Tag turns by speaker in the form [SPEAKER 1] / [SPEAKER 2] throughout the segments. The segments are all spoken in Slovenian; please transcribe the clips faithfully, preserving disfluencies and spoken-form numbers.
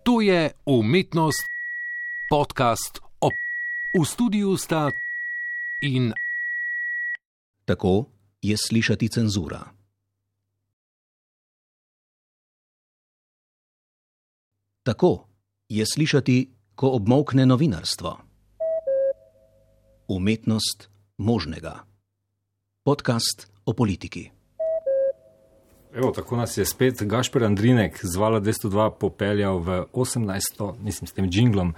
[SPEAKER 1] To je Umetnost, podcast o... V studiu sta in...
[SPEAKER 2] Tako je slišati cenzura. Tako je slišati, ko obmolkne novinarstvo. Umetnost možnega. Podcast o politiki.
[SPEAKER 3] Evo, tako nas je spet Gašper Andrinek z Vala dvesto dva popeljal v osemnajsto, mislim s tem džinglom,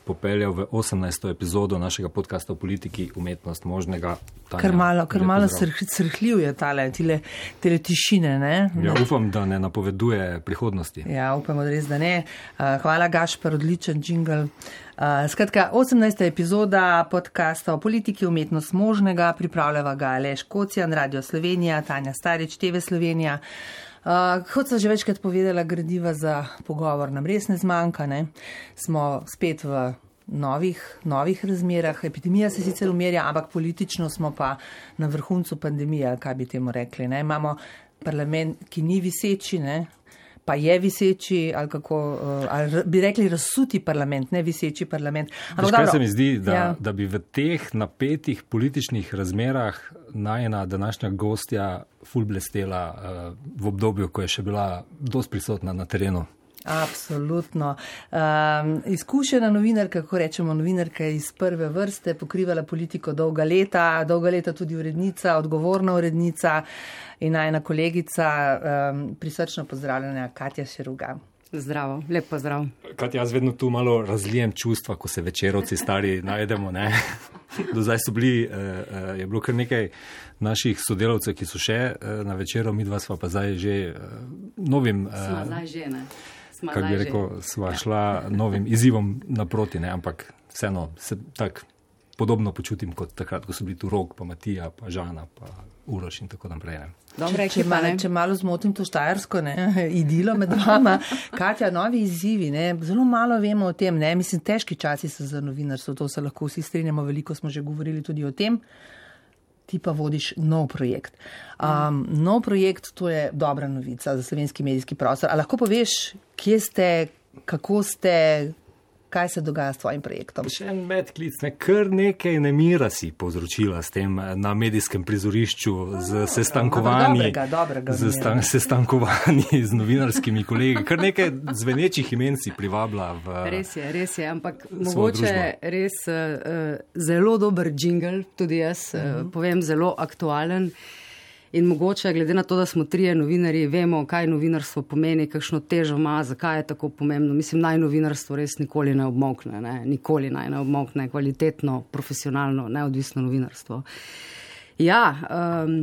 [SPEAKER 3] popeljal v osemnajsto epizodo našega podcasta o politiki Umetnost možnega. Tanja,
[SPEAKER 4] kar malo, kar malo srhljiv je tale, tile, tele tišine, ne?
[SPEAKER 3] Ja, upam, da ne napoveduje prihodnosti.
[SPEAKER 4] Ja, upamo, da res, da ne. Hvala, Gašper, odličen džingl. Skratka, osemnajsta epizoda podcasta o politiki Umetnost možnega, pripravljava ga Aleš Kocijan, Radio Slovenija, Tanja Starič, T V Slovenija. Uh, kot sem že večkrat povedala, gradiva za pogovor nam res ne zmanjka, ne? Smo spet v novih, novih razmerah. Epidemija se sicer umirja, ampak politično smo pa na vrhuncu pandemije, kaj bi temu rekli, ne? Imamo parlament, ki ni viseči, ne? Pa je viseči, ali kako, ali bi rekli razsuti parlament, ne viseči parlament.
[SPEAKER 3] Veš, kaj se mi zdi, da, ja. da bi v teh napetih političnih razmerah najena današnja gostja ful blestela uh, v obdobju, ko je še bila dosti prisotna na terenu.
[SPEAKER 4] Absolutno. Um, izkušena novinarka, kako rečemo, novinarka iz prve vrste, pokrivala politiko dolga leta, dolga leta tudi urednica, odgovorna urednica in najna kolegica, um, prisrčno pozdravljena Katja Šeruga.
[SPEAKER 5] Zdravo, lep pozdrav.
[SPEAKER 3] Katja, jaz vedno tu malo razlijem čustva, ko se večerovci stari najdemo, ne? Do zdaj so bili, uh, je bilo kar nekaj naših sodelavcev, ki so še uh, na večeru, midva sva pa zdaj že uh, novim... Uh,
[SPEAKER 5] Sva zdaj že, ne?
[SPEAKER 3] Kako bi rekel, sva šla novim izzivom naproti, ne? Ampak vseeno se tak podobno počutim kot takrat, ko so bili tu Rok, pa Matija, pa Žana, pa Uroš in tako naprej. Ne?
[SPEAKER 4] Dobre, če, malo, če malo zmotim to štajersko, ne, idilo med vama. Katja, novi izzivi, ne, zelo malo vemo o tem, ne, mislim, težki časi so za novinarstvo, to se lahko vsi strinjamo, veliko smo že govorili tudi o tem. Ti pa vodiš nov projekt. Um, nov projekt, to je dobra novica za slovenski medijski prostor. A lahko poveš, kje ste, kako ste, kaj se dogaja s tvojim projektom?
[SPEAKER 3] Še en medklic, ne, kar nekaj nemira si povzročila s tem na medijskem prizorišču z sestankovanji,
[SPEAKER 4] dobrega, dobrega
[SPEAKER 3] z stan, sestankovanji z novinarskimi kolegi. Kar nekaj zvenečih imen si privabila v
[SPEAKER 5] Res je, res je, ampak mogoče res uh, zelo dober džingl, tudi jaz uh, uh-huh. povem, zelo aktualen. In mogoče, glede na to, da smo trije novinarji, vemo, kaj novinarstvo pomeni, kakšno težo ima, zakaj je tako pomembno. Mislim, naj novinarstvo res nikoli ne obmolkne, ne? Nikoli naj ne obmolkne kvalitetno, profesionalno, neodvisno novinarstvo. Ja, um,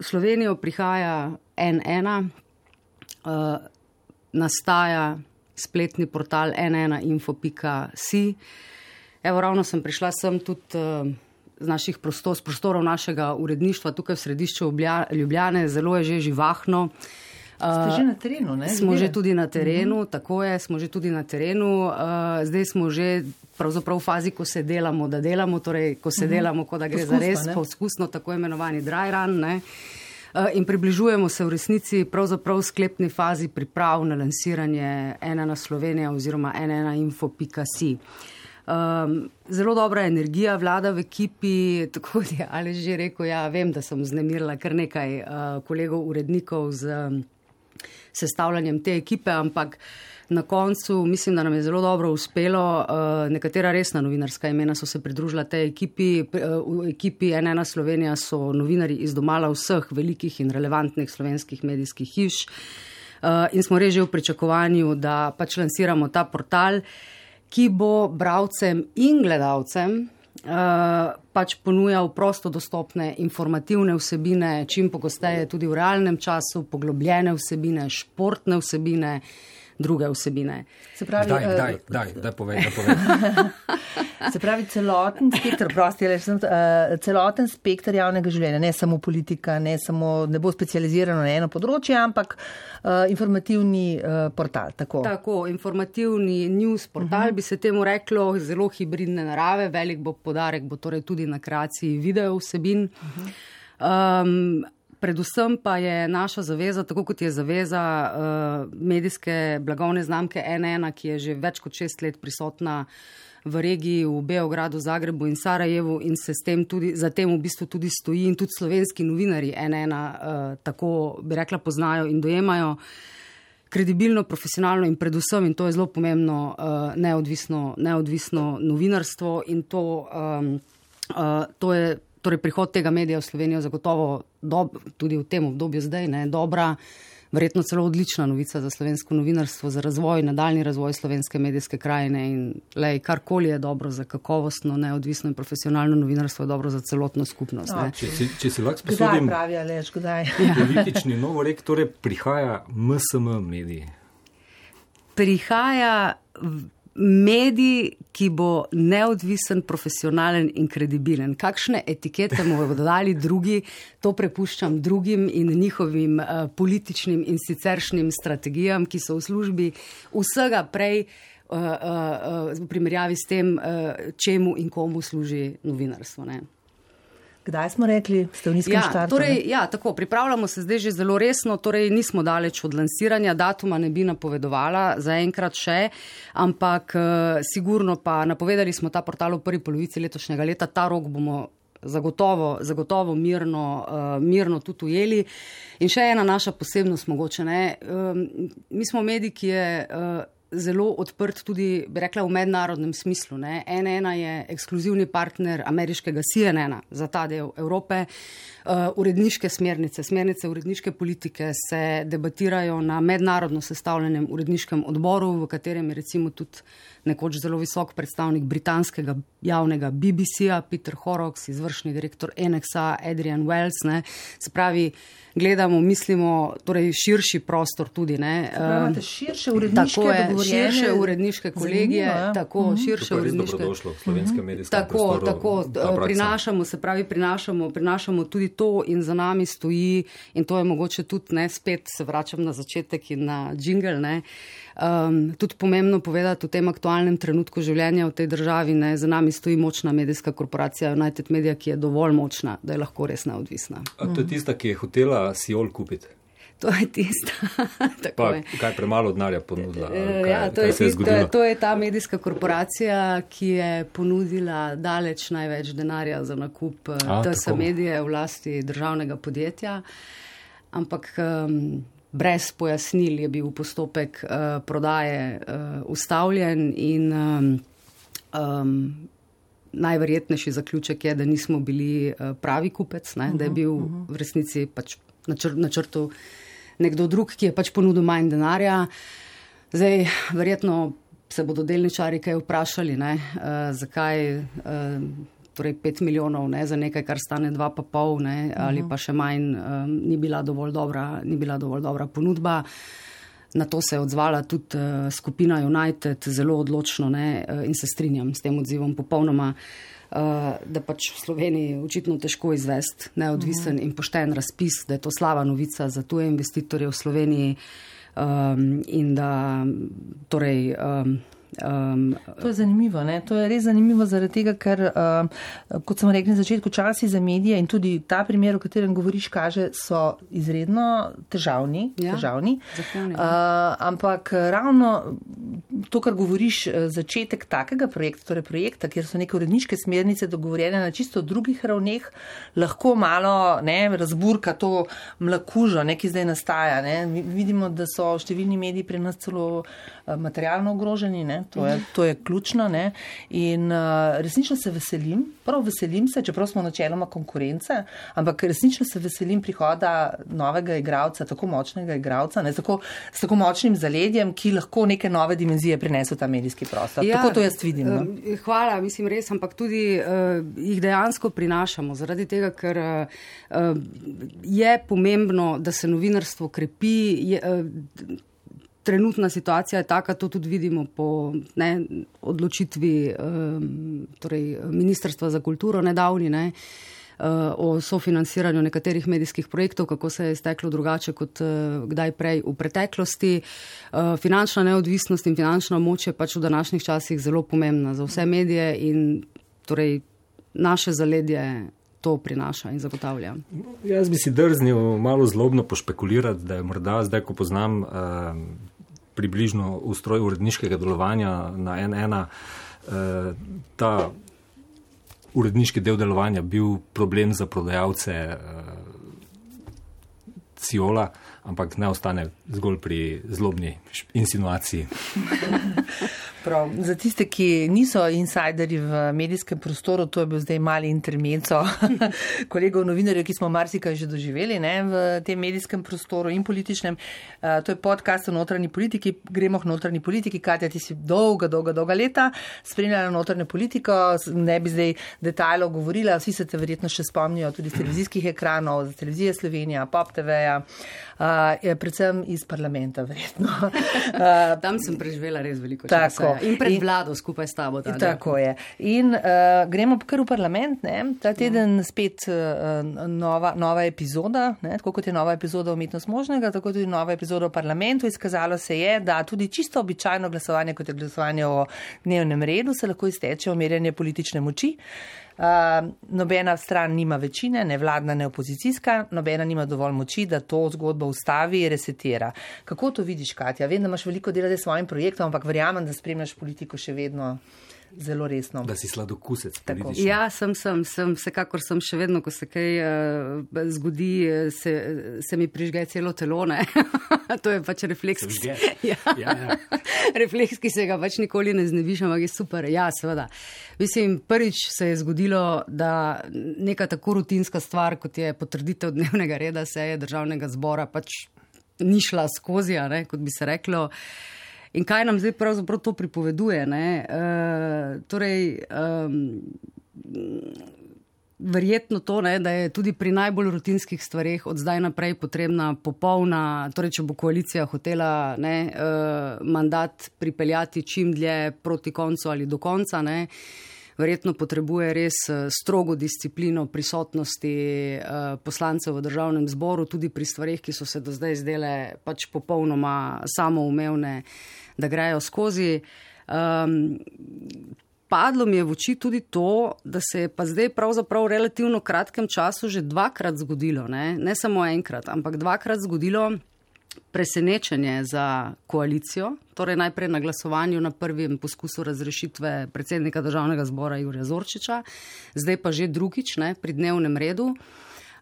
[SPEAKER 5] v Slovenijo prihaja en ena, uh, nastaja spletni portal en ena info pika si. Evo, ravno sem prišla sem tudi... Uh, z naših prostor, z prostorov našega uredništva tukaj v središču Ljubljane, zelo je že živahno.
[SPEAKER 4] Ste že na terenu, ne?
[SPEAKER 5] Smo že tudi na terenu, uh-huh. tako je, smo že tudi na terenu. Uh, zdaj smo že pravzaprav v fazi, ko se delamo, da delamo, torej ko se uh-huh. delamo, ko da gre poskusno, za res ne? Poskusno, tako imenovani dry run, ne? Uh, in približujemo se v resnici pravzaprav v sklepni fazi priprav na lansiranje en ena Slovenija oziroma en ena info pika si. Um, zelo dobra energija vlada v ekipi, tako je Aleš že rekel, ja, vem, da sem vznemirila kar nekaj uh, kolegov urednikov z um, sestavljanjem te ekipe, ampak na koncu mislim, da nam je zelo dobro uspelo. Uh, nekatera resna novinarska imena so se pridružila tej ekipi. Uh, v ekipi en ena Slovenija so novinarji iz domala vseh velikih in relevantnih slovenskih medijskih hiš uh, in smo res že v pričakovanju, da pač lansiramo ta portal, ki bo bralcem in gledalcem uh, pač ponujal prosto dostopne informativne vsebine, čim pogosteje tudi v realnem času, poglobljene vsebine, športne vsebine, druge vsebine.
[SPEAKER 4] Se pravi,
[SPEAKER 3] daj, uh, daj, daj, daj, povej, daj, povej.
[SPEAKER 4] Se pravi, celoten spektr, prosti, uh, celoten spektr javnega življenja, ne samo politika, ne samo, ne bo specializirano na eno področje, ampak uh, informativni uh, portal, tako.
[SPEAKER 5] Tako, informativni news portal, uh-huh. bi se temu reklo, zelo hibridne narave, velik bo podarek, bo torej tudi na kreaciji video vsebin. Uh-huh. Um, predvsem pa je naša zaveza, tako kot je zaveza uh, medijske blagovne znamke N ena, ki je že več kot šest let prisotna v regiji, v Beogradu, Zagrebu in Sarajevu in se s tem tudi, za tem v bistvu tudi stoji in tudi slovenski novinarji N ena uh, tako, bi rekla, poznajo in dojemajo kredibilno, profesionalno in predvsem, in to je zelo pomembno, uh, neodvisno, neodvisno novinarstvo in to, um, uh, to je torej prihod tega medija v Slovenijo zagotovo dob, tudi v tem obdobju zdaj, ne, dobra, verjetno celo odlična novica za slovensko novinarstvo, za razvoj, nadaljni razvoj slovenske medijske krajine in lej, karkoli je dobro za kakovostno, neodvisno in profesionalno novinarstvo, je dobro za celotno skupnost.
[SPEAKER 3] No, če, si, če si lahko sposodim,
[SPEAKER 4] kdaj pravi, Aleš, kdaj?
[SPEAKER 3] Politični novorek, torej prihaja M S M mediji.
[SPEAKER 5] Prihaja medij, ki bo neodvisen, profesionalen in kredibilen. Kakšne etikete mu bodo dali drugi, to prepuščam drugim in njihovim uh, političnim in siceršnjim strategijam, ki so v službi vsega prej uh, uh, uh, v primerjavi s tem, uh, čemu in komu služi novinarstvo. Ne?
[SPEAKER 4] Kdaj smo rekli, ste v nizkem
[SPEAKER 5] ja,
[SPEAKER 4] štartu?
[SPEAKER 5] Torej, ja, tako, pripravljamo se zdaj že zelo resno, torej nismo daleč od lansiranja, datuma ne bi napovedovala zaenkrat še, ampak uh, sigurno pa napovedali smo ta portal v prvi polovici letošnjega leta, ta rok bomo zagotovo, zagotovo mirno, uh, mirno tudi ujeli. In še ena naša posebnost mogoče, ne, um, mi smo medij, ki je uh, zelo odprt tudi, bi rekla, v mednarodnem smislu. Ne. N ena je ekskluzivni partner ameriškega C N N-a za ta del Evrope. Uh, uredniške smernice, smernice uredniške politike se debatirajo na mednarodno sestavljenem uredniškem odboru, v katerem je recimo tudi nekoč zelo visok predstavnik britanskega javnega B B C-a, Peter Horrocks, izvršni direktor N X A, Adrian Wells. Ne. Se pravi, gledamo, mislimo, torej širši prostor tudi. Ne.
[SPEAKER 4] Pravite, širše uredniške
[SPEAKER 5] tako je,
[SPEAKER 4] dogovorjene.
[SPEAKER 5] Širše uredniške kolegije,
[SPEAKER 4] Zanimivo,
[SPEAKER 5] tako, mm-hmm. širše uredniške.
[SPEAKER 3] Dobrodošlo v slovenskem medijskem
[SPEAKER 5] Tako,
[SPEAKER 3] prostoru.
[SPEAKER 5] tako, prinašamo, se pravi, prinašamo, prinašamo tudi to in za nami stoji, in to je mogoče tudi, ne, spet se vračam na začetek in na jingle, ne, um, tudi pomembno povedati v tem aktualnem trenutku življenja v tej državi, ne, za nami stoji močna medijska korporacija United Media, ki je dovolj močna, da je lahko res neodvisna.
[SPEAKER 3] A to je tista, ki je hotela Siol kupiti?
[SPEAKER 5] To je tista.
[SPEAKER 3] Pa kaj premalo denarja ponudila? Kaj,
[SPEAKER 5] ja, to, je
[SPEAKER 3] se je
[SPEAKER 5] tista, to, je, to je ta medijska korporacija, ki je ponudila daleč največ denarja za nakup A, T S medije v lasti državnega podjetja. Ampak um, brez pojasnil je bil postopek uh, prodaje uh, ustavljen in um, um, najverjetnejši zaključek je, da nismo bili uh, pravi kupec, ne, uh-huh, da je bil uh-huh. v resnici pač načr- načrtu nekdo drug, ki je pač ponudil manj denarja. Zdaj, verjetno se bodo delničari kaj vprašali, ne, uh, zakaj uh, torej pet milijonov, ne, za nekaj, kar stane dva pa pol, ne, uh-huh. ali pa še manj, um, ni bila dovolj dobra, ni bila dovolj dobra ponudba. Na to se je odzvala tudi uh, skupina United zelo odločno, ne, uh, in se strinjam s tem odzivom popolnoma, uh, da pač v Sloveniji očitno težko izvesti neodvisen uh-huh. in pošten razpis, da je to slaba novica za tuje investitorje v Sloveniji um, in da torej um, Um,
[SPEAKER 4] to je zanimivo, ne? To je res zanimivo zaradi tega, ker, uh, kot sem rekla na začetku, časi za medije in tudi ta primer, o katerem govoriš, kaže, so izredno težavni.
[SPEAKER 5] Ja,
[SPEAKER 4] težavni.
[SPEAKER 5] Zahtevni,
[SPEAKER 4] uh, ampak ravno to, kar govoriš, začetek takega projekta, torej projekta, kjer so neke uredniške smernice dogovorjene na čisto drugih ravneh, lahko malo, ne, razburka to mlakužo, ne, ki zdaj nastaja. Ne? Vidimo, da so številni mediji pri nas celo materialno ogroženi, ne? To je, to je ključno, ne? In uh, resnično se veselim, prav veselim se, čeprav smo načeloma konkurence, ampak resnično se veselim prihoda novega igralca, tako močnega igralca, ne? Tako, s tako močnim zaledjem, ki lahko neke nove dimenzije prinese v ta medijski prostor. Ja, tako to jaz vidim. No?
[SPEAKER 5] Hvala, mislim res, ampak tudi uh, jih dejansko prinašamo, zaradi tega, ker uh, je pomembno, da se novinarstvo krepi. Je, uh, Trenutna situacija je taka, to tudi vidimo po, ne, odločitvi um, torej Ministrstva za kulturo nedavni, ne, uh, o sofinanciranju nekaterih medijskih projektov, kako se je steklo drugače kot uh, kdaj prej v preteklosti. Uh, finančna neodvisnost in finančna moč je pač v današnjih časih zelo pomembna za vse medije in torej naše zaledje to prinaša in zagotavlja.
[SPEAKER 3] Jaz bi si drznil malo zlobno pošpekulirati, da je morda zdaj, ko poznam eh, približno ustroj uredniškega delovanja na en ena, eh, ta uredniški del delovanja bil problem za prodajalce eh, Ciola, ampak ne ostane zgolj pri zlobni insinuaciji.
[SPEAKER 4] Prav. Za tiste, ki niso insideri v medijskem prostoru, to je bil zdaj mali intermezzo kolegov novinarjev, ki smo marsikaj že doživeli, ne, v tem medijskem prostoru in političnem. Uh, to je podcast o notranji politiki. Gremo k notranji politiki. Katja, ti si dolga, dolga, dolga leta spremljala notranjo politiko. Ne bi zdaj detajlov govorila. Vsi se te verjetno še spomnijo tudi z televizijskih ekranov, z televizije Slovenija, Pop T V-ja, uh, predvsem iz parlamenta verjetno.
[SPEAKER 5] Uh, Tam sem preživela res veliko časa. In pred in, vlado skupaj s tabo. Tada.
[SPEAKER 4] Tako je. In uh, gremo kar v parlament. Ne? Ta teden spet uh, nova, nova epizoda, ne? Tako kot je nova epizoda Umetnost možnega, tako tudi nova epizoda v parlamentu. Izkazalo se je, da tudi čisto običajno glasovanje, kot je glasovanje o dnevnem redu, se lahko izteče omerjanje politične moči. Uh, nobena stran nima večine, ne vladna, ne opozicijska, nobena nima dovolj moči, da to zgodbo ustavi in resetira. Kako to vidiš, Katja? Vem, da imaš veliko delati s svojim projektom, ampak verjamem, da spremljaš politiko še vedno zelo resno.
[SPEAKER 3] Da si sladokusec.
[SPEAKER 5] Ja, sem, sem, sem, vsekakor sem še vedno, ko se kaj uh, zgodi, se, se mi prižge celo telo, ne. To je pač refleks.
[SPEAKER 3] Ja.
[SPEAKER 5] Ja, ja. Refleks, ki se ga pač nikoli ne znebiš, ampak je super. Ja, seveda. Mislim, prvič se je zgodilo, da neka tako rutinska stvar, kot je potrditev dnevnega reda seje državnega zbora, pač ni šla skozi, ne, kot bi se reklo. In kaj nam zdaj pravzaprav to pripoveduje? Ne? E, torej, um, verjetno to, ne, da je tudi pri najbolj rutinskih stvareh od zdaj naprej potrebna popolna, torej če bo koalicija hotela ne, uh, mandat pripeljati čim dlje proti koncu ali do konca, ne, verjetno potrebuje res strogo disciplino prisotnosti uh, poslancev v državnem zboru, tudi pri stvareh, ki so se do zdaj zdele pač popolnoma samoumevne, da grejo skozi. Um, padlo mi je v oči tudi to, da se je pa zdaj pravzaprav v relativno kratkem času že dvakrat zgodilo, ne, ne samo enkrat, ampak dvakrat zgodilo presenečenje za koalicijo, torej najprej na glasovanju na prvem poskusu razrešitve predsednika državnega zbora Jurija Zorčiča, zdaj pa že drugič, ne, pri dnevnem redu.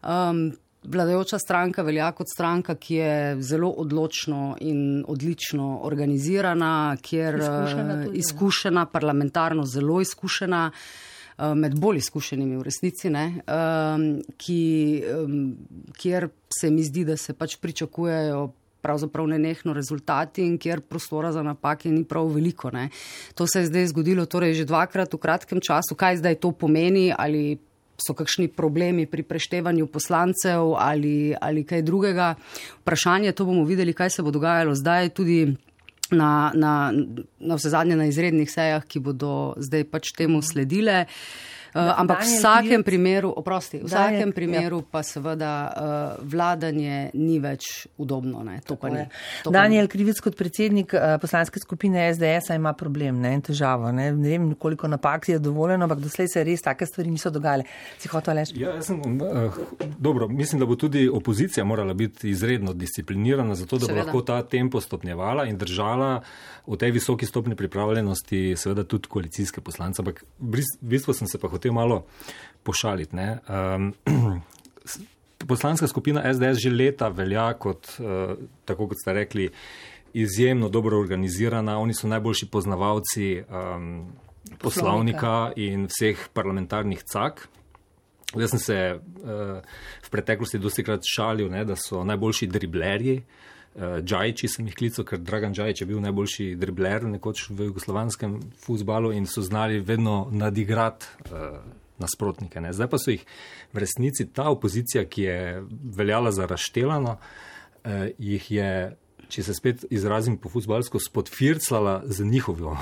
[SPEAKER 5] Um, Vladajoča stranka velja kot stranka, ki je zelo odločno in odlično organizirana, kjer izkušena, tudi, izkušena parlamentarno zelo izkušena, med bolj izkušenimi v resnici, ne, ki, kjer se mi zdi, da se pač pričakujejo pravzaprav nenehno rezultati in kjer prostora za napake ni prav veliko. Ne. To se je zdaj zgodilo torej že dvakrat v kratkem času. Kaj zdaj to pomeni, ali so kakšni problemi pri preštevanju poslancev ali, ali kaj drugega. Vprašanje, to bomo videli, kaj se bo dogajalo zdaj tudi na, na, na vse zadnje na izrednih sejah, ki bodo zdaj pač temu sledile. Uh, ampak v vsakem primeru, oprosti, v vsakem Daniel, primeru ja. Pa seveda uh, vladanje ni več udobno. Ne, to pa ni. To
[SPEAKER 4] Daniel Krivec kot predsednik uh, poslanske skupine S D S-a ima problem, ne, težavo. Ne, ne vem, koliko napak je dovoljeno, ampak doslej se res take stvari niso dogajale. Si hotel reči?
[SPEAKER 3] Ja, jaz sem, uh, dobro, mislim, da bo tudi opozicija morala biti izredno disciplinirana, zato da seveda bo lahko ta tempo stopnjevala in držala v tej visoki stopni pripravljenosti seveda tudi koalicijske poslance. Ampak v bistvu sem se pa hotel malo pošaliti. Ne. Um, poslanska skupina S D S že leta velja kot, uh, tako kot ste rekli, izjemno dobro organizirana. Oni so najboljši poznavalci um, poslovnika in vseh parlamentarnih cak. Jaz sem se uh, v preteklosti dostikrat šalil, ne, da so najboljši driblerji. Uh, Džajiči sem jih klical, ker Dragan Džajič je bil najboljši dribler nekoč v jugoslovanskem futbalu in so znali vedno nadigrati uh, nasprotnike. Ne. Zdaj pa so jih v resnici ta opozicija, ki je veljala za razštelano, uh, jih je, če se spet izrazim po futbalsko, spodfirclala z njihovo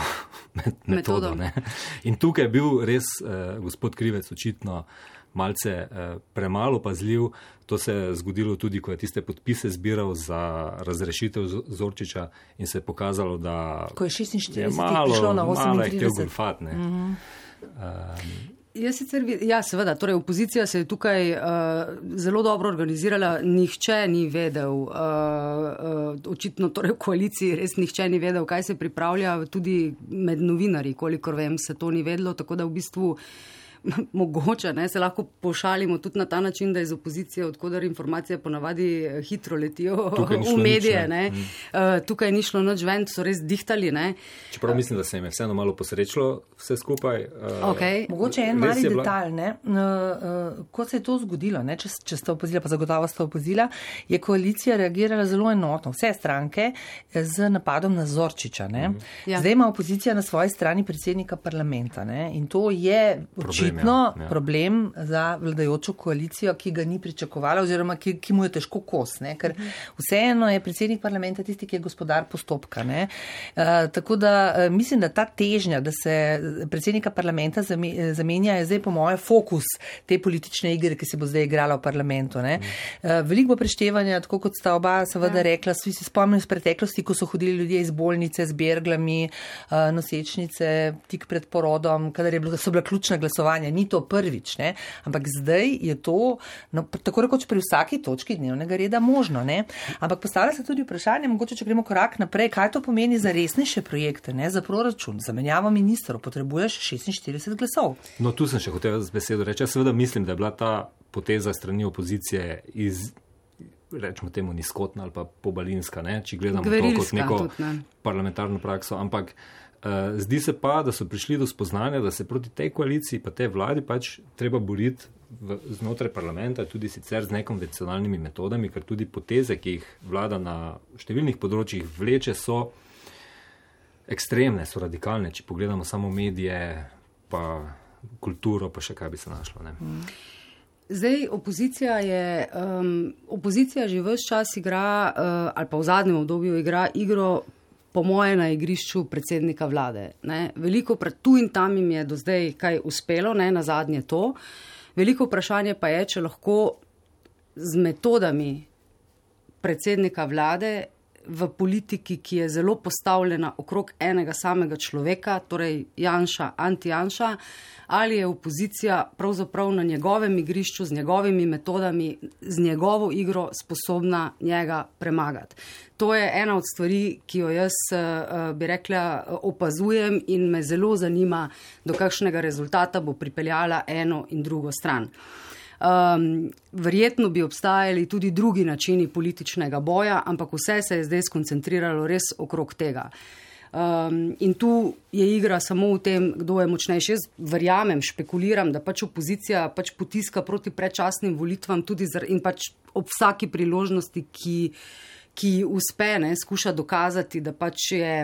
[SPEAKER 3] metodo. Ne. In tukaj je bil res uh, gospod Krivec očitno malce eh, premalo pazljiv. To se je zgodilo tudi, ko je tiste podpise zbiral za razrešitev Zorčiča in se je pokazalo, da
[SPEAKER 4] ko je šestinštirideset
[SPEAKER 3] je malo,
[SPEAKER 4] prišlo na
[SPEAKER 3] malo je
[SPEAKER 4] osemintrideset.
[SPEAKER 3] htel golfat. Ne. Mm-hmm. Um,
[SPEAKER 5] Ja, sicer, ja, seveda, torej opozicija se je tukaj uh, zelo dobro organizirala, nihče ni vedel, uh, uh, očitno torej v koaliciji res nihče ni vedel, kaj se pripravlja, tudi med novinarji, kolikor vem, se to ni vedlo, tako da v bistvu mogoče, ne, se lahko pošalimo tudi na ta način, da iz opozicije, odkudar informacije ponavadi hitro letijo v medije. Ne. Ne. Uh, tukaj ni šlo nič ven, so res dihtali. Ne.
[SPEAKER 3] Čeprav mislim, da se jim je vseeno malo posrečilo vse skupaj. Uh,
[SPEAKER 4] okay. Mogoče en mali detalj, ne. Uh, uh, ko se je to zgodilo, ne, če, če ste opozila, pa zagotovo ste opozila, je koalicija reagirala zelo enotno, vse stranke, z napadom na Zorčiča. Ne. Mm. Ja. Zdaj ima opozicija na svoji strani predsednika parlamenta, ne, in to je očitno No, ja. problem za vladajočo koalicijo, ki ga ni pričakovala oziroma ki, ki mu je težko kos, ne? Ker vseeno je predsednik parlamenta tisti, ki je gospodar postopka. Ne? Uh, tako da uh, mislim, da ta težnja, da se predsednika parlamenta zamenja, je zdaj po moje fokus te politične igre, ki se bo zdaj igrala v parlamentu. Ne? Uh, veliko bo preštevanja, tako kot sta oba seveda ja. rekla, svi se spomnim iz preteklosti, ko so hodili ljudje iz bolnice z berglami, uh, nosečnice, tik pred porodom, kadar je bilo, so bila ključna glasovanja. Ni to prvič, ne? Ampak zdaj je to, no, tako rekoč pri vsaki točki dnevnega reda možno. Ne? Ampak postavlja se tudi vprašanje, mogoče, če gremo korak naprej, kaj to pomeni za resnejše projekte, ne? Za proračun, za menjavo ministrov, potrebuješ šestinštirideset glasov.
[SPEAKER 3] No, tu sem še hotel z besedo reči. Jaz seveda mislim, da je bila ta poteza strani opozicije iz, rečemo temu, nizkotna ali pa pobalinska, ne? Če gledamo Gverilska, to kot neko tudi, ne? parlamentarno prakso, ampak Uh, zdi se pa, da so prišli do spoznanja, da se proti tej koaliciji pa tej vladi pač treba boriti v, znotraj parlamenta, tudi sicer z nekonvencionalnimi metodami, ker tudi poteze, ki jih vlada na številnih področjih vleče, so ekstremne, so radikalne, če pogledamo samo medije, pa kulturo, pa še kaj bi se našlo. Ne?
[SPEAKER 5] Zdaj, opozicija je, um, opozicija že ves čas igra, uh, ali pa v zadnjem obdobju igra igro po moje na igrišču predsednika vlade. Ne. Veliko tu in tam jim je do zdaj kaj uspelo, ne, na zadnje to. Veliko vprašanje pa je, če lahko z metodami predsednika vlade v politiki, ki je zelo postavljena okrog enega samega človeka, torej Janša, anti-Janša, ali je opozicija pravzaprav na njegovem igrišču, z njegovimi metodami, z njegovo igro sposobna njega premagati. To je ena od stvari, ki jo jaz, bi rekla, opazujem in me zelo zanima, do kakšnega rezultata bo pripeljala eno in drugo stran. Um, verjetno bi obstajali tudi drugi načini političnega boja, ampak vse se je zdaj skoncentriralo res okrog tega. Um, in tu je igra samo v tem, kdo je močnejši. Jaz verjamem, špekuliram, da pač opozicija pač potiska proti predčasnim volitvam tudi zar, in pač ob vsaki priložnosti, ki, ki uspe, ne, skuša dokazati, da pač je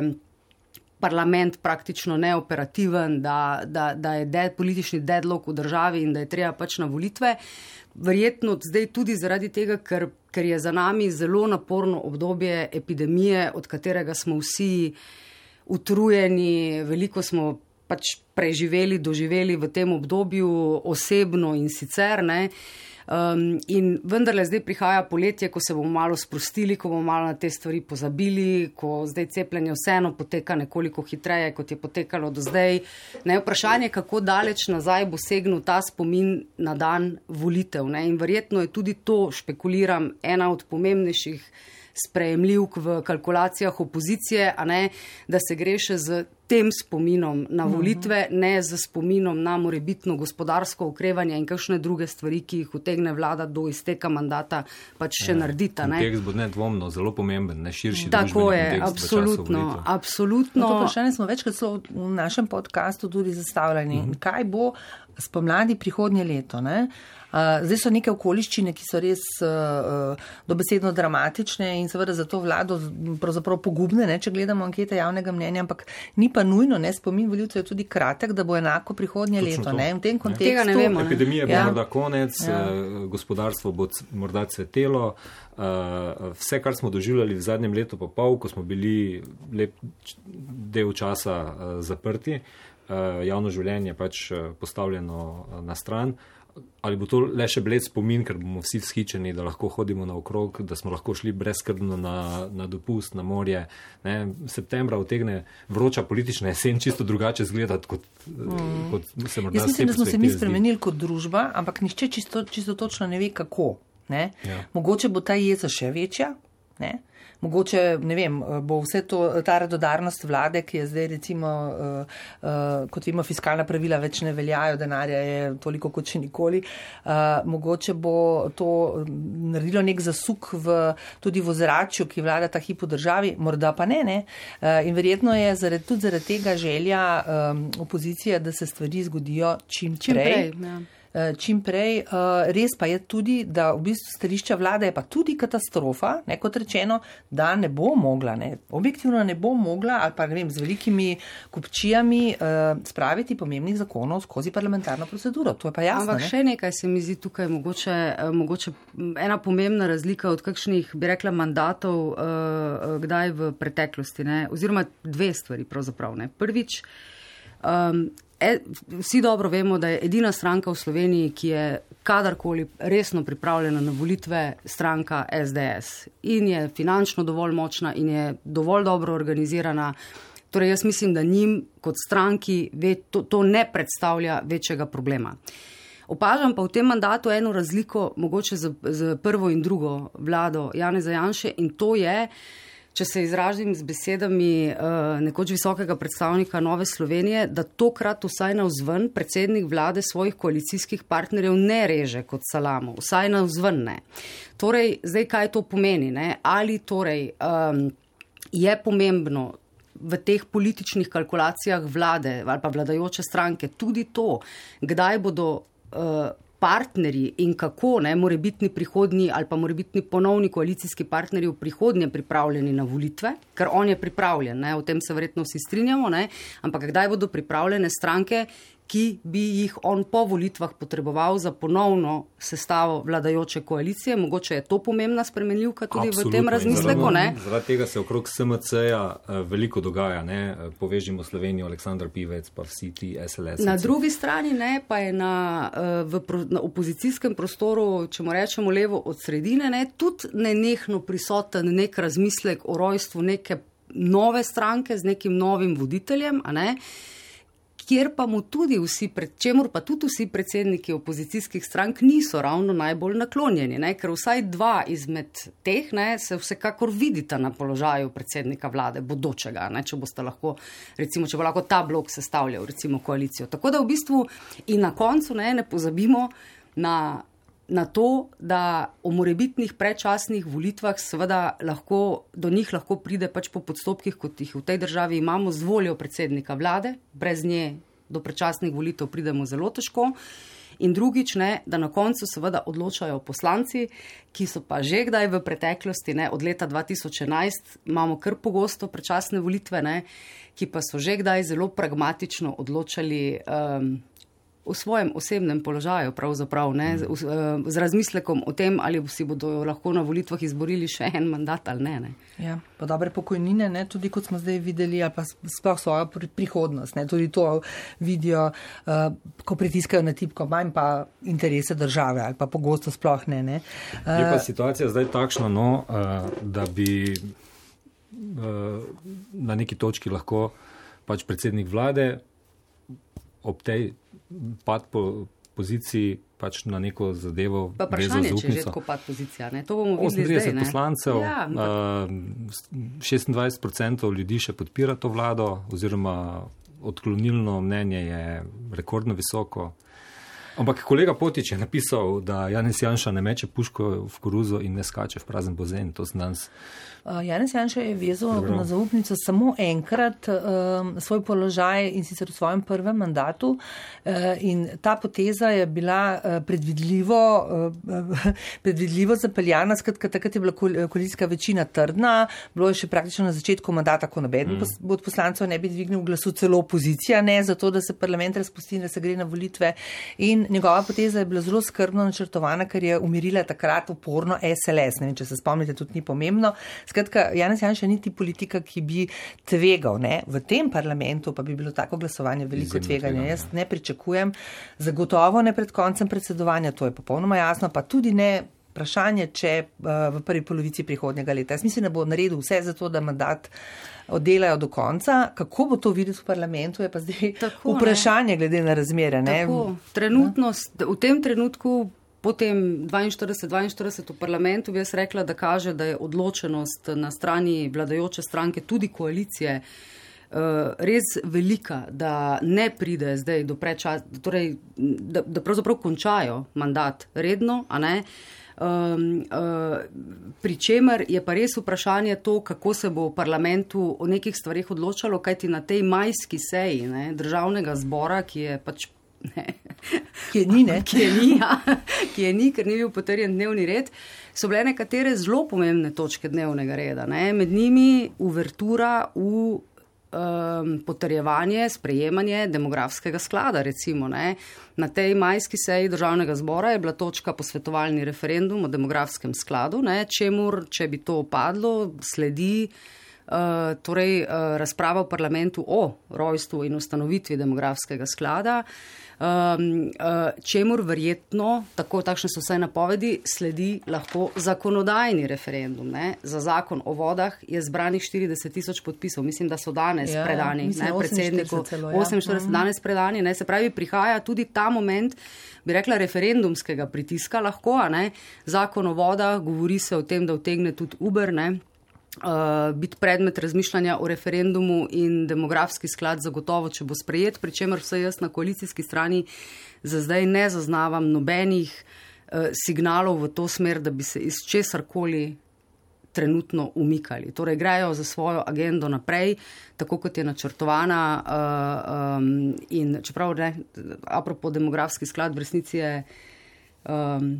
[SPEAKER 5] parlament praktično neoperativen, da, da, da je dead, politični deadlock v državi in da je treba pač na volitve. Verjetno zdaj tudi zaradi tega, ker, ker je za nami zelo naporno obdobje epidemije, od katerega smo vsi utrujeni, veliko smo pač preživeli, doživeli v tem obdobju osebno in sicer, ne. Um, in vendarle zdaj prihaja poletje, ko se bomo malo sprostili, ko bomo malo na te stvari pozabili, ko zdaj cepljenje vseeno poteka nekoliko hitreje, kot je potekalo do zdaj. Ne, vprašanje, kako daleč nazaj bo segnil ta spomin na dan volitev. Ne? In verjetno je tudi to, špekuliram, ena od pomembnejših sprejemljivk v kalkulacijah opozicije, a ne, da se gre še z tem spominom na volitve, ne z spominom na morebitno gospodarsko okrevanje in kakšne druge stvari, ki jih utegne vlada do izteka mandata pač še naredita.
[SPEAKER 3] Kontekst bo nedvomno zelo pomemben, ne širši družbeni kontekst.
[SPEAKER 5] Tako je, absolutno, absolutno.
[SPEAKER 4] No, to vprašanje smo večkrat v našem podcastu tudi zastavljeni. Mm-hmm. Kaj bo spomladi prihodnje leto, ne? Uh, zdaj so neke okoliščine, ki so res uh, dobesedno dramatične in seveda za to vlado pravzaprav pogubne, ne, če gledamo ankete javnega mnenja, ampak ni pa nujno, ne, spomin volivcev je tudi kratek, da bo enako prihodnje Točno leto. Ne, v tem kontekstu,
[SPEAKER 5] Tega ne vemo.
[SPEAKER 3] Epidemija bo
[SPEAKER 4] ja.
[SPEAKER 3] morda konec, ja. gospodarstvo bo morda cvetelo, uh, vse, kar smo doživljali v zadnjem letu pa pol, ko smo bili lep del časa uh, zaprti, uh, javno življenje pač uh, postavljeno uh, na stran. ali bo to le še bled spomin, ker bomo vsi vzhičeni, da lahko hodimo naokrog, da smo lahko šli brezskrbno na, na dopust, na morje. Ne? Septembra utegne vroča politična jesen čisto drugače zgledati, kot, mm. kot se morda.
[SPEAKER 4] Jaz mislim, da smo se mi spremenili kot družba, ampak nihče čisto, čisto točno ne ve, kako. Ne? Ja. Mogoče bo ta jeza še večja, ne? Mogoče, ne vem, bo vse to, ta radodarnost vlade, ki je zdaj recimo, uh, uh, kot vemo, fiskalna pravila več ne veljajo, denarja je toliko kot še nikoli, uh, mogoče bo to naredilo nek zasuk v, tudi v ozračju, ki vlada ta hip v državi, morda pa ne, ne. Uh, in verjetno je zaradi, tudi zaradi tega želja um, opozicije, da se stvari zgodijo čim prej. Čim prej, ja. Čim prej. Res pa je tudi, da v bistvu stališča vlade je pa tudi katastrofa, ne, kot rečeno, da ne bo mogla, ne, objektivno ne bo mogla ali pa ne vem, z velikimi kupčijami uh, spraviti pomembnih zakonov skozi parlamentarno proceduro. To je pa jasno.
[SPEAKER 5] Ampak
[SPEAKER 4] ne?
[SPEAKER 5] Še nekaj se mi zdi tukaj mogoče, mogoče ena pomembna razlika od kakšnih, bi rekla, mandatov uh, kdaj v preteklosti, ne, oziroma dve stvari pravzaprav, ne. Prvič, um, E, vsi dobro vemo, da je edina stranka v Sloveniji, ki je kadarkoli resno pripravljena na volitve, stranka S D S. In je finančno dovolj močna in je dovolj dobro organizirana. Torej jaz mislim, da njim kot stranki ve, to, to ne predstavlja večjega problema. Opažam pa v tem mandatu eno razliko, mogoče z, z prvo in drugo vlado Janeza Janše, in to je, če se izražim z besedami uh, nekoč visokega predstavnika Nove Slovenije, da tokrat vsaj navzven predsednik vlade svojih koalicijskih partnerjev ne reže kot salamo, vsaj navzven ne. Torej, zdaj kaj to pomeni? Ne? Ali torej um, je pomembno v teh političnih kalkulacijah vlade ali pa vladajoče stranke tudi to, kdaj bodo uh, partnerji in kako, ne, morebitni prihodnji ali pa morebitni ponovni koalicijski partnerji v prihodnje pripravljeni na volitve, ker on je pripravljen, ne, o tem se verjetno vsi strinjamo, ne, ampak kdaj bodo pripravljene stranke, ki bi jih on po volitvah potreboval za ponovno sestavo vladajoče koalicije. Mogoče je to pomembna spremenljivka tudi Absolutno. V tem razmisleku, ne?
[SPEAKER 3] Zaradi tega se okrog S M C-ja veliko dogaja, ne? Povežimo Slovenijo, Aleksandar Pivec, pa vsi ti S L S.
[SPEAKER 5] Na drugi strani, ne, pa je na, v, na opozicijskem prostoru, če mu rečemo levo od sredine, ne, tudi nenehno prisoten nek razmislek o rojstvu neke nove stranke z nekim novim voditeljem, a ne? Kjer pa mu tudi vsi, čemur pa tudi vsi predsedniki opozicijskih strank niso ravno najbolj naklonjeni, ne? Ker vsaj dva izmed teh, ne, se vsekakor vidita na položaju predsednika vlade, bodočega, ne? Če boste lahko, recimo, če bo lahko ta blok sestavljal, recimo, koalicijo. Tako da v bistvu in na koncu, ne, ne pozabimo na na to, da o morebitnih predčasnih volitvah seveda lahko, do njih lahko pride pač po podstopkih, kot jih v tej državi imamo, z voljo predsednika vlade, brez nje do predčasnih volitev pridemo zelo težko. In drugič, ne, da na koncu seveda odločajo poslanci, ki so pa že kdaj v preteklosti, ne, od leta dva tisoč enajst imamo kar pogosto predčasne volitve, ne, ki pa so že kdaj zelo pragmatično odločali um, v svojem osebnem položaju, pravzaprav, ne, z, z razmislekom o tem, ali si bodo lahko na volitvah izborili še en mandat ali ne. ne.
[SPEAKER 4] Ja, pa dobre pokojnine, ne, tudi kot smo zdaj videli, ali pa sploh svojo prihodnost, ne, tudi to vidijo, uh, ko pritiskajo na tipko, manj pa interese države, ali pa pogosto sploh ne. ne. Uh,
[SPEAKER 3] Je pa situacija zdaj takšna, no, uh, da bi uh, na neki točki lahko pač predsednik vlade ob tej pad po poziciji pač na neko zadevo
[SPEAKER 5] pa vprašanje, če je že tako pad pozicija, ne? To bomo videli zdaj, ne?
[SPEAKER 3] osemintrideset poslancev, ja, šestindvajset procentov ljudi še podpira to vlado, oziroma odklonilno mnenje je rekordno visoko. Ampak kolega Potič je napisal, da Janez Janša ne meče puško v koruzo in ne skače v prazen bazen. To sem danes.
[SPEAKER 4] Uh, Janez Janša je vezal na zaupnico samo enkrat um, svoj položaj in sicer v svojem prvem mandatu. Uh, in ta poteza je bila uh, predvidljivo, uh, predvidljivo zapeljana, skratka takrat je bila koalicijska večina trdna, bilo je še praktično na začetku mandata, ko nobeden mm. od poslancev ne bi dvignil glasu, celo opozicija, ne, zato da se parlament razpusti in da se gre na volitve. In njegova poteza je bila zelo skrbno načrtovana, ker je umirila takrat uporno S L S. Ne vem, če se spomnite, tudi ni pomembno. Skratka, Janez Janša niti politika, ki bi tvegal. Ne? V tem parlamentu pa bi bilo tako glasovanje veliko tveganja. Jaz ne pričakujem, zagotovo ne pred koncem predsedovanja, to je popolnoma jasno, pa tudi ne vprašanje, če v prvi polovici prihodnjega leta. Jaz mislim, da bo naredil vse za to, da mandat oddelajo do konca. Kako bo to videti v parlamentu, je pa zdaj tako, vprašanje ne? Glede na razmere. Ne?
[SPEAKER 5] Tako, trenutno, v tem trenutku, potem dvainštirideset dvainštirideset v parlamentu, bi jaz rekla, da kaže, da je odločenost na strani vladajoče stranke, tudi koalicije, res velika, da ne pride zdaj do prečasa, torej, da, da pravzaprav končajo mandat redno, a ne? Um, uh, pri čemer je pa res vprašanje to, kako se bo v parlamentu o nekih stvarih odločalo, kajti na tej majski seji ne, državnega zbora, ki je pač ne,
[SPEAKER 4] ki je ni, ne?
[SPEAKER 5] ki je ni, ja, ki je ni, ker ni bil potrjen dnevni red, so bile nekatere zelo pomembne točke dnevnega reda. Ne? Med njimi uvertura v Um, potrjevanje, sprejemanje demografskega sklada, recimo. Ne. Na tej majski seji državnega zbora je bila točka posvetovalni referendum o demografskem skladu, ne, čemur, če bi to opadlo, sledi uh, torej, uh, razprava v parlamentu o rojstvu in ustanovitvi demografskega sklada, um, uh, čemur verjetno, tako takšne so vse napovedi, sledi lahko zakonodajni referendum. Ne. Za zakon o vodah je zbranih štirideset tisoč podpisov. Mislim, da so danes ja, predani mislim, ne, predsedniku. Celo, ja. oseminštirideset uh-huh. danes predani. Ne. Se pravi, prihaja tudi ta moment, bi rekla, referendumskega pritiska lahko. A ne. Zakon o vodah, govori se o tem, da utegne tudi Uber, ne. Uh, biti predmet razmišljanja o referendumu in demografski sklad zagotovo, če bo sprejet, pri čemer vse jaz na koalicijski strani za zdaj ne zaznavam nobenih uh, signalov v to smer, da bi se iz česarkoli trenutno umikali. Torej, grejo za svojo agendo naprej, tako kot je načrtovana uh, um, in čeprav ne, apropo demografski sklad v resnici je um,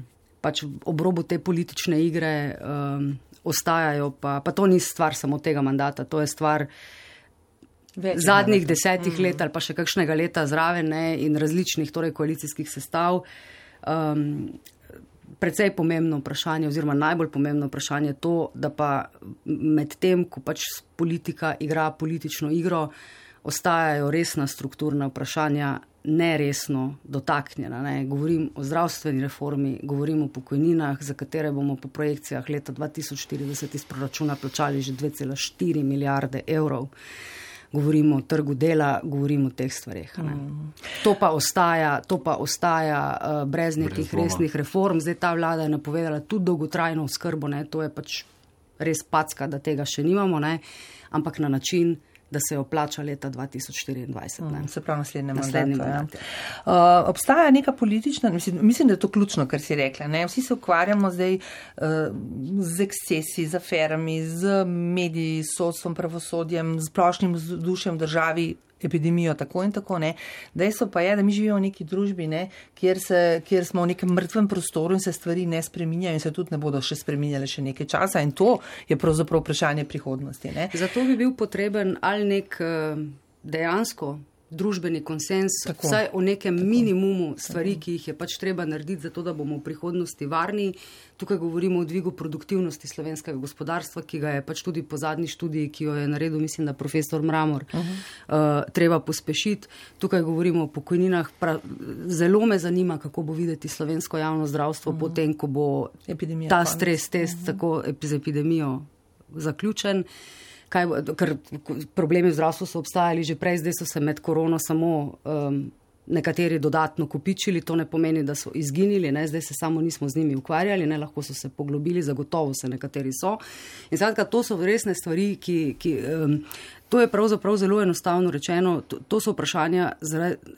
[SPEAKER 5] pač ob robu te politične igre um, ostajajo, pa, pa to ni stvar samo tega mandata, to je stvar Več zadnjih mandata. desetih mm. let ali pa še kakšnega leta zraven ne, in različnih torej, koalicijskih sestav. Um, precej pomembno vprašanje oziroma najbolj pomembno vprašanje je to, da pa med tem, ko pač politika igra politično igro, ostajajo resna strukturna vprašanja neresno dotaknjena. Ne. Govorim o zdravstveni reformi, govorim o pokojninah, za katere bomo po projekcijah leta dva tisoč štirideset iz proračuna plačali že dve cela štiri milijarde evrov. Govorimo o trgu dela, govorimo o teh stvareh. Mm. To pa ostaja, to pa ostaja uh, brez nekih brez resnih reform. Zdaj ta vlada je napovedala tudi dolgotrajno oskrbo, ne. To je pač res packa, da tega še nimamo, ne. Ampak na način, da se jo plača leta dva tisoč štiriindvajset. Ne?
[SPEAKER 4] Se pravi naslednje mandate. Ja. Uh, obstaja neka politična, mislim, mislim, da je to ključno, kar si rekla. Ne? Vsi se ukvarjamo zdaj uh, z ekscesi, z aferami, z mediji, s sodstvom, pravosodjem, z splošnim vzdušjem v državi, epidemijo, tako in tako. Ne? Dejstvo pa je, da mi živimo v neki družbi, ne? Kjer, se, kjer smo v nekem mrtvem prostoru in se stvari ne spreminjajo in se tudi ne bodo še spreminjale še nekaj časa in to je pravzaprav vprašanje prihodnosti. Ne?
[SPEAKER 5] Zato bi bil potreben ali nek dejansko družbeni konsens, tako, vsaj o nekem tako, minimumu stvari, tako. Ki jih je pač treba narediti, zato da bomo v prihodnosti varni. Tukaj govorimo o dvigu produktivnosti slovenskega gospodarstva, ki ga je pač tudi po zadnji študiji, ki jo je naredil, mislim, da profesor Mramor, uh-huh. uh, treba pospešiti. Tukaj govorimo o pokojninah. Pra, zelo me zanima, kako bo videti slovensko javno zdravstvo uh-huh. potem, ko bo Epidemija ta konec. Stres test uh-huh. tako z epidemijo zaključen. Kaj, ker problemi v zdravstvu so obstajali že prej, zdaj so se med korono samo um, nekateri dodatno kopičili, to ne pomeni, da so izginili, ne? Zdaj se samo nismo z njimi ukvarjali, ne? Lahko so se poglobili, zagotovo se nekateri so. In zadnja, to so resne stvari, ki, ki um, to je pravzaprav zelo enostavno rečeno, to, to so vprašanja,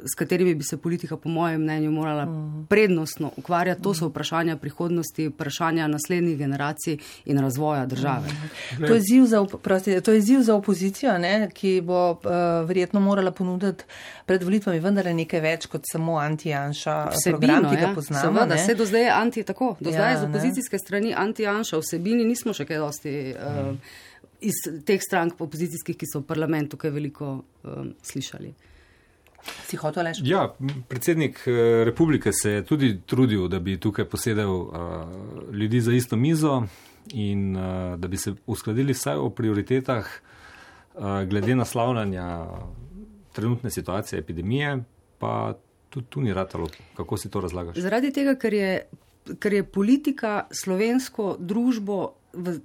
[SPEAKER 5] s katerimi bi se politika po mojem mnenju morala prednostno ukvarjati, to so vprašanja prihodnosti, vprašanja naslednjih generacij in razvoja države.
[SPEAKER 4] To je izziv za, prosti, to je izziv za opozicijo, ne, ki bo uh, verjetno morala ponuditi pred volitvami vendar nekaj več kot samo anti-Janša program, ki ga poznamo.
[SPEAKER 5] Seveda, se do zdaj je anti tako, do zdaj je z opozicijske ne. strani anti-Janša, vsebini nismo še kaj dosti uh, iz teh strank opozicijskih, ki so v parlamentu kaj veliko um, slišali.
[SPEAKER 4] Si hotel Aleš?
[SPEAKER 3] Ja, predsednik republike se je tudi trudil, da bi tukaj posedel uh, ljudi za isto mizo in uh, da bi se uskladili vsaj o prioritetah uh, glede naslavljanja trenutne situacije epidemije, pa tudi tu ni ratalo. Kako si to razlagaš?
[SPEAKER 5] Zaradi tega, ker je, ker je politika slovensko družbo v,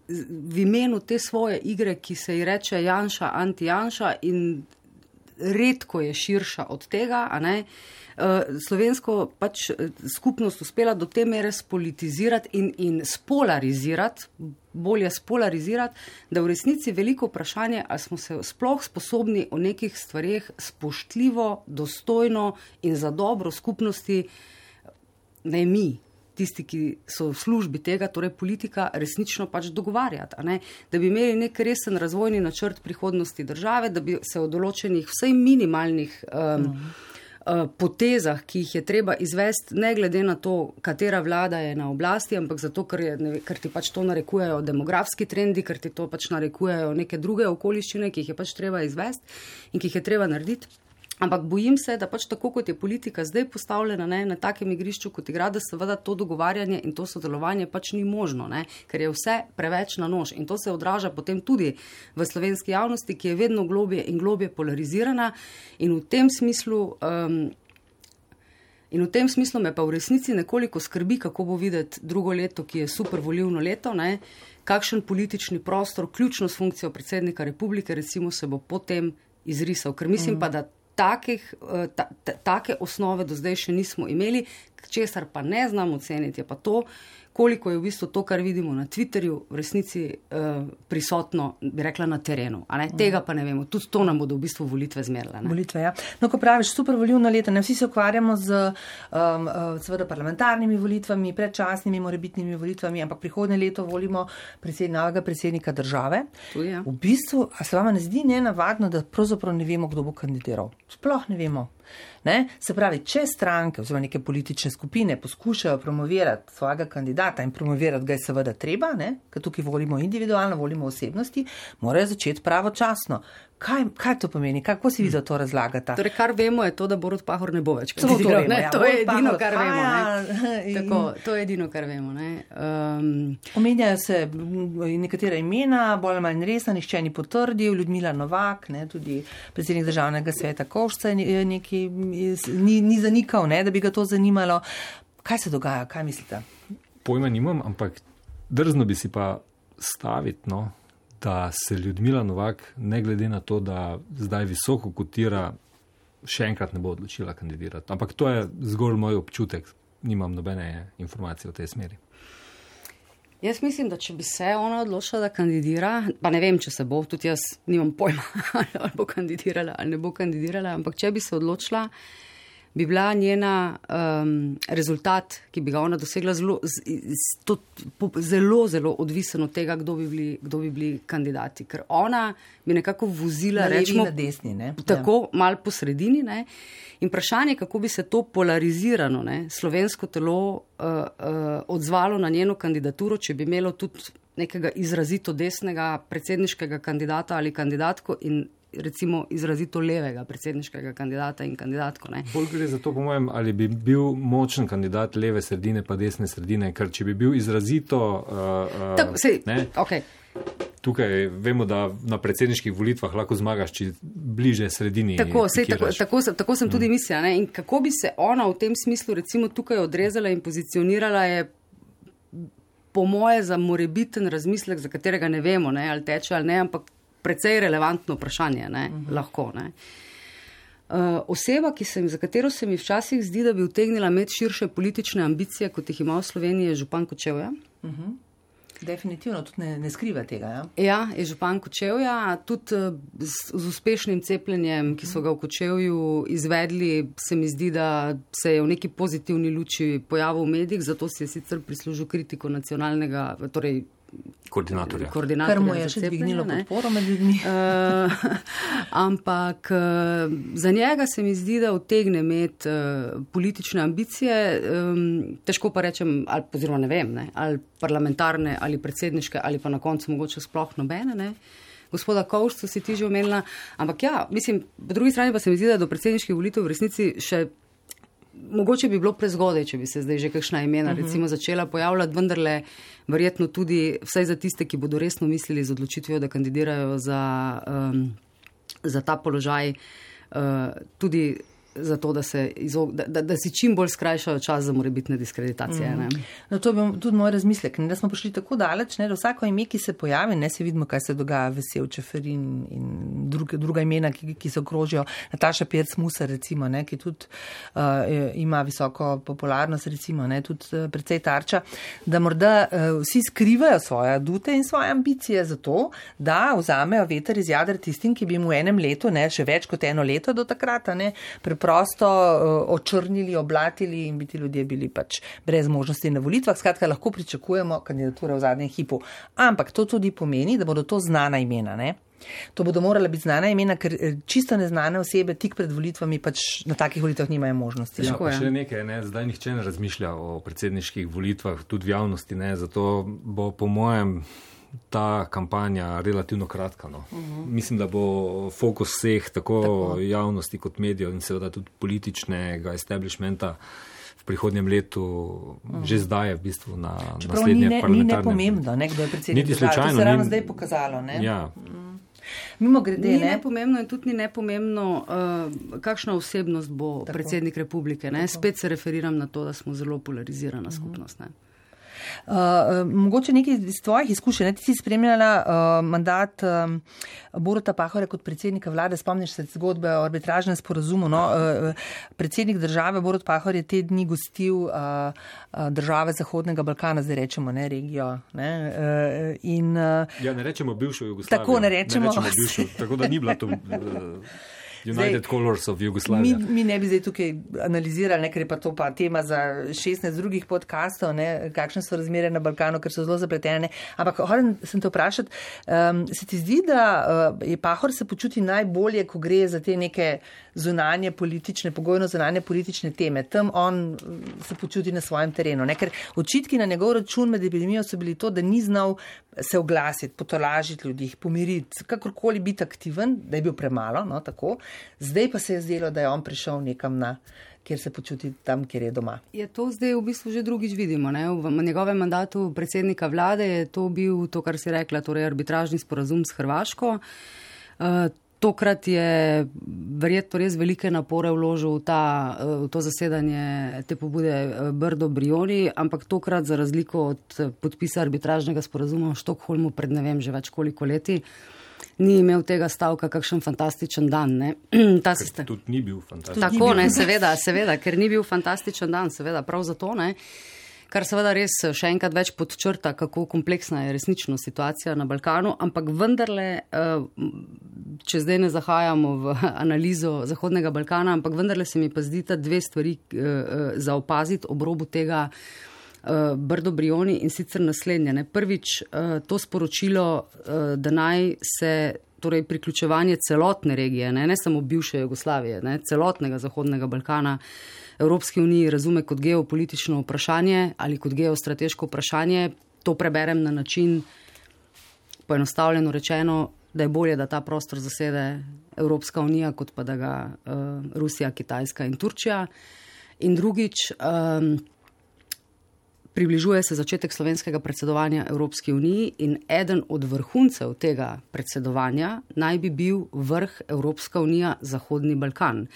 [SPEAKER 5] v imenu te svoje igre, ki se ji reče Janša, anti-Janša in redko je širša od tega, a ne, slovensko pač skupnost uspela do te mere spolitizirati in, in spolarizirati, bolje spolarizirati, da v resnici veliko vprašanje, ali smo se sploh sposobni o nekih stvareh spoštljivo, dostojno in za dobro skupnosti, ne mi, tisti, ki so v službi tega, torej politika, resnično pač dogovarjati. A ne? Da bi imeli nek resen razvojni načrt prihodnosti države, da bi se o določenih vsej minimalnih um, uh, potezah, ki jih je treba izvesti, ne glede na to, katera vlada je na oblasti, ampak zato, ker, je, ne, ker ti pač to narekujejo demografski trendi, ker ti to pač narekujejo neke druge okoliščine, ki jih je pač treba izvesti in ki jih je treba narediti. Ampak bojim se, da pač tako, kot je politika zdaj postavljena, ne, na takem igrišču, kot igra, da seveda to dogovarjanje in to sodelovanje pač ni možno, ne, ker je vse preveč na nož. In to se odraža potem tudi v slovenski javnosti, ki je vedno globje in globje polarizirana. In v tem smislu, um, in v tem smislu me pa v resnici nekoliko skrbi, kako bo videti drugo leto, ki je super volilno leto, ne, kakšen politični prostor, ključno s funkcijo predsednika republike, recimo se bo potem izrisal. Ker mislim pa, da Takih, ta, ta, take osnove do zdaj še nismo imeli, česar pa ne znam oceniti, je pa to, koliko je v bistvu to, kar vidimo na Twitterju, v resnici uh, prisotno, bi rekla, na terenu. A ne? Tega pa ne vemo. Tudi to nam bodo v bistvu volitve zmerile. Ne?
[SPEAKER 4] Volitve, ja. No, ko praviš, super volilna leta, ne vsi se ukvarjamo z um, seveda parlamentarnimi volitvami, predčasnimi, morebitnimi volitvami, ampak prihodnje leto volimo predsed, novega predsednika države.
[SPEAKER 5] Tudi, ja.
[SPEAKER 4] V bistvu, a se vama ne zdi nenavadno, da pravzaprav ne vemo, kdo bo kandidiral? Sploh ne vemo. Ne? Se pravi, če stranke oziroma neke politične skupine poskušajo promovirati svojega kandidata in promovirati ga je seveda treba, ne? Ker tukaj volimo individualno, volimo osebnosti, morajo začeti pravočasno. Kaj, kaj to pomeni? Kako si vi za to razlagate?
[SPEAKER 5] Torej, kar vemo je to, da Borut Pahor ne bo več kandidiral.
[SPEAKER 4] To, ja,
[SPEAKER 5] to je edino, kar
[SPEAKER 4] Pahor,
[SPEAKER 5] vemo.
[SPEAKER 4] Ne?
[SPEAKER 5] In... Tako, to je edino, kar vemo. Ne? Um...
[SPEAKER 4] Omenjajo se nekatera imena, bolj ali manj resna, nihče ni potrdil, Ljudmila Novak, ne? Tudi predsednik državnega sveta Kovšca je neki, ni, ni zanikal, ne? Da bi ga to zanimalo. Kaj se dogaja? Kaj mislite?
[SPEAKER 3] Pojma nimam, ampak drzno bi si pa staviti, no? Da se Ljudmila Novak, ne glede na to, da zdaj visoko kotira, še enkrat ne bo odločila kandidirati. Ampak to je zgolj moj občutek, nimam nobene informacije v tej smeri.
[SPEAKER 5] Jaz mislim, da če bi se ona odločila, da kandidira, pa ne vem, če se bo, tudi jaz nimam pojma, ali bo kandidirala ali ne bo kandidirala, ampak če bi se odločila, bi bila njena um, rezultat, ki bi ga ona dosegla, zelo, z, to, po, zelo, zelo odvisen od tega, kdo bi bili, kdo bi bili kandidati. Ker ona bi nekako vozila,
[SPEAKER 4] na
[SPEAKER 5] rečemo,
[SPEAKER 4] na desni, ne?
[SPEAKER 5] Tako ja. Mal po sredini. Ne? In vprašanje, kako bi se to polarizirano ne, slovensko telo uh, uh, odzvalo na njeno kandidaturo, če bi imelo tudi nekega izrazito desnega predsedniškega kandidata ali kandidatko in recimo izrazito levega predsedniškega kandidata in kandidatko. Ne.
[SPEAKER 3] Bolj gre za to, po mojem, ali bi bil močen kandidat leve sredine pa desne sredine, ker če bi bil izrazito... Uh,
[SPEAKER 5] Tako, sej,
[SPEAKER 3] ne,
[SPEAKER 5] okay.
[SPEAKER 3] Tukaj vemo, da na predsedniških volitvah lahko zmagaš, če bliže sredini.
[SPEAKER 5] Tako, sej, tako, tako, sem, tako sem tudi mm. mislila. Ne. In kako bi se ona v tem smislu recimo tukaj odrezala in pozicionirala je po moje za morebiten razmislek, za katerega ne vemo, ne, ali teče ali ne, ampak precej relevantno vprašanje, ne, uh-huh. lahko. Ne. Uh, oseba, ki sem, za katero se mi včasih zdi, da bi utegnila imeti širše politične ambicije, kot jih ima v Sloveniji, je župan Kočevja.
[SPEAKER 4] Uh-huh. Definitivno, tudi ne, ne skriva tega. Ja,
[SPEAKER 5] ja je župan Kočevja, tudi z, z uspešnim cepljenjem, ki so ga v Kočevju izvedli, se mi zdi, da se je v neki pozitivni luči pojavil v medijih, zato si je sicer prislužil kritiko nacionalnega, torej
[SPEAKER 3] koordinatorja.
[SPEAKER 5] Kar
[SPEAKER 4] mu je še dvignilo podporo med ljudmi.
[SPEAKER 5] Uh, ampak uh, za njega se mi zdi, da utegne imeti uh, politične ambicije, um, težko pa rečem, ali oziroma ne vem, ne, ali parlamentarne, ali predsedniške, ali pa na koncu mogoče sploh nobene, ne. gospoda Kovšca si ti že omenila, ampak ja, mislim, po drugi strani pa se mi zdi, da do predsedniških volitev v resnici še mogoče bi bilo prezgodaj, če bi se zdaj že kakšna imena uh-huh. recimo začela pojavljati, vendarle verjetno tudi vsaj za tiste, ki bodo resno mislili z odločitvijo, da kandidirajo za, um, za ta položaj, uh, tudi za to, da, se izog, da, da, da si čim bolj skrajšajo čas za morebitne diskreditacije. Mm. Ne?
[SPEAKER 4] No, to je tudi moj razmislek, ne, da smo prišli tako daleč, ne, da vsako ime, ki se pojavi, ne, se vidimo, kaj se dogaja, Vesel, Čeferin in druge, druga imena, ki, ki se okrožijo, Nataša Pirc-Musar, recimo, ne, ki tudi uh, ima visoko popularnost, recimo, ne, tudi uh, precej tarča, da morda uh, vsi skrivajo svoje adute in svoje ambicije za to, da vzamejo veter iz jader tistim, ki bi mu v enem letu, ne, še več kot eno leto do takrata, ne, prosto uh, očrnili, oblatili in bi ti ljudje bili pač brez možnosti na volitvah. Skratka, lahko pričakujemo kandidature v zadnjem hipu. Ampak to tudi pomeni, da bodo to znana imena, ne? To bodo morala biti znana imena, ker čisto neznane osebe tik pred volitvami pač na takih volitvah nimajo možnosti.
[SPEAKER 3] Ja, pa še nekaj, ne? Zdaj nihče ne razmišlja o predsedniških volitvah, tudi v javnosti, ne? Zato bo po mojem ta kampanja relativno kratka. No. Uh-huh. Mislim, da bo fokus vseh, tako, tako javnosti kot medijev in seveda tudi političnega establishmenta v prihodnjem letu uh-huh. že zdaj je v bistvu na
[SPEAKER 4] Čeprav
[SPEAKER 3] naslednje
[SPEAKER 4] ne,
[SPEAKER 3] parlamentarne.
[SPEAKER 4] Ni nepomembno, ne, kdo je predsednik.
[SPEAKER 3] Niti slučajno.
[SPEAKER 4] To se ravno
[SPEAKER 3] ni...
[SPEAKER 4] zdaj pokazalo. Ne?
[SPEAKER 3] Ja.
[SPEAKER 4] Uh-huh. Mimo grede,
[SPEAKER 5] ni
[SPEAKER 4] ne?
[SPEAKER 5] nepomembno in tudi ni nepomembno, uh, kakšna osebnost bo tako. Predsednik republike. Ne? Spet se referiram na to, da smo zelo polarizirana uh-huh. skupnost. Ne?
[SPEAKER 4] Uh, uh, mogoče nekaj iz tvojih izkušenj. Ti si spremljala uh, mandat um, Boruta Pahorja kot predsednika vlade. Spomniš se zgodbe o arbitražnem sporazumu. No? Uh, predsednik države Borut Pahor je te dni gostil uh, uh, države Zahodnega Balkana, zdaj rečemo, ne, regijo. Ne? Uh, in, uh,
[SPEAKER 3] ja, ne rečemo bivšo Jugoslavijo.
[SPEAKER 4] Tako ne rečemo.
[SPEAKER 3] Ne rečemo bivšo, tako da ni bila to... Uh, United zdaj, Colors of Jugoslavia.
[SPEAKER 4] Mi, mi ne bi zdaj tukaj analizirali, ne, ker je pa to pa tema za šestnajst drugih podcastov, ne, kakšne so razmere na Balkanu, ker so zelo zapletene. Ampak hočem sem te vprašati, um, se ti zdi, da uh, je Pahor se počuti najbolje, ko gre za te neke zunanje politične, pogojno zunanje politične teme. Tam on se počuti na svojem terenu. Ne, ker očitki na njegov račun med epidemijo so bili to, da ni znal se oglasiti, potolažiti ljudi, pomiriti, kakorkoli biti aktiven, da je bil premalo, no, tako. Zdaj pa se je zdelo, da je on prišel nekam na, kjer se počuti tam, kjer je doma.
[SPEAKER 5] Je to zdaj v bistvu že drugič vidimo. Ne? V njegovem mandatu predsednika vlade je to bil to, kar si rekla, torej arbitražni sporazum s Hrvaško. Uh, tokrat je verjetno res velike napore vložil v, ta, v to zasedanje te pobude Brdo Brioni, ampak tokrat za razliko od podpisa arbitražnega sporazuma v Štokholmu pred ne vem že več koliko leti, ni imel tega stavka kakšen fantastičen dan. Ne? Ta
[SPEAKER 3] sistem... Tudi ni bil fantastičen.
[SPEAKER 5] Tako, ne, seveda, seveda, ker ni bil fantastičen dan, seveda, prav zato, ne. Kar seveda res še enkrat več podčrta, kako kompleksna je resnično situacija na Balkanu, ampak vendarle, če zdaj ne zahajamo v analizo Zahodnega Balkana, ampak vendarle se mi pa zdi ta dve stvari za opaziti ob robu tega Brdo Brioni in sicer naslednje. Ne. Prvič, to sporočilo, da naj se torej priključevanje celotne regije, ne, ne samo bivše Jugoslavije, ne, celotnega Zahodnega Balkana Evropski uniji razume kot geopolitično vprašanje ali kot geostrateško vprašanje. To preberem na način, poenostavljeno rečeno, da je bolje, da ta prostor zasede Evropska unija, kot pa da ga uh, Rusija, Kitajska in Turčija. In drugič, um, približuje se začetek slovenskega predsedovanja Evropski uniji in eden od vrhuncev tega predsedovanja naj bi bil vrh Evropska unija Zahodni Balkan.